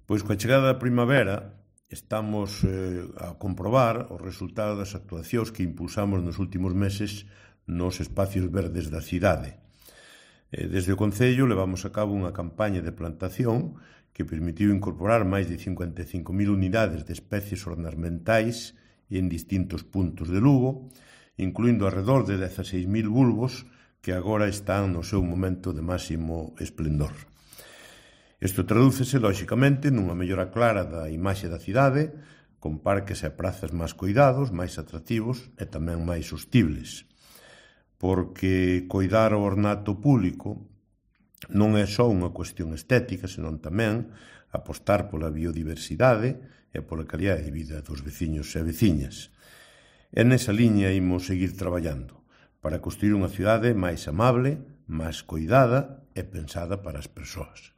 Pois coa chegada da primavera estamos a comprobar o resultado das actuacións que impulsamos nos últimos meses nos espacios verdes da cidade. Desde o Concello levamos a cabo unha campaña de plantación que permitiu incorporar máis de 55.000 unidades de especies ornamentais en distintos puntos de Lugo, incluindo alrededor de 16.000 bulbos que agora están no seu momento de máximo esplendor. Isto tradúcese, lóxicamente, nunha mellora clara da imaxe da cidade, con parques e prazas máis coidados, máis atractivos e tamén máis sostibles. Porque coidar o ornato público non é só unha cuestión estética, senón tamén apostar pola biodiversidade e pola calidade de vida dos veciños e veciñas. E nesa liña imos seguir traballando para construir unha cidade máis amable, máis coidada e pensada para as persoas.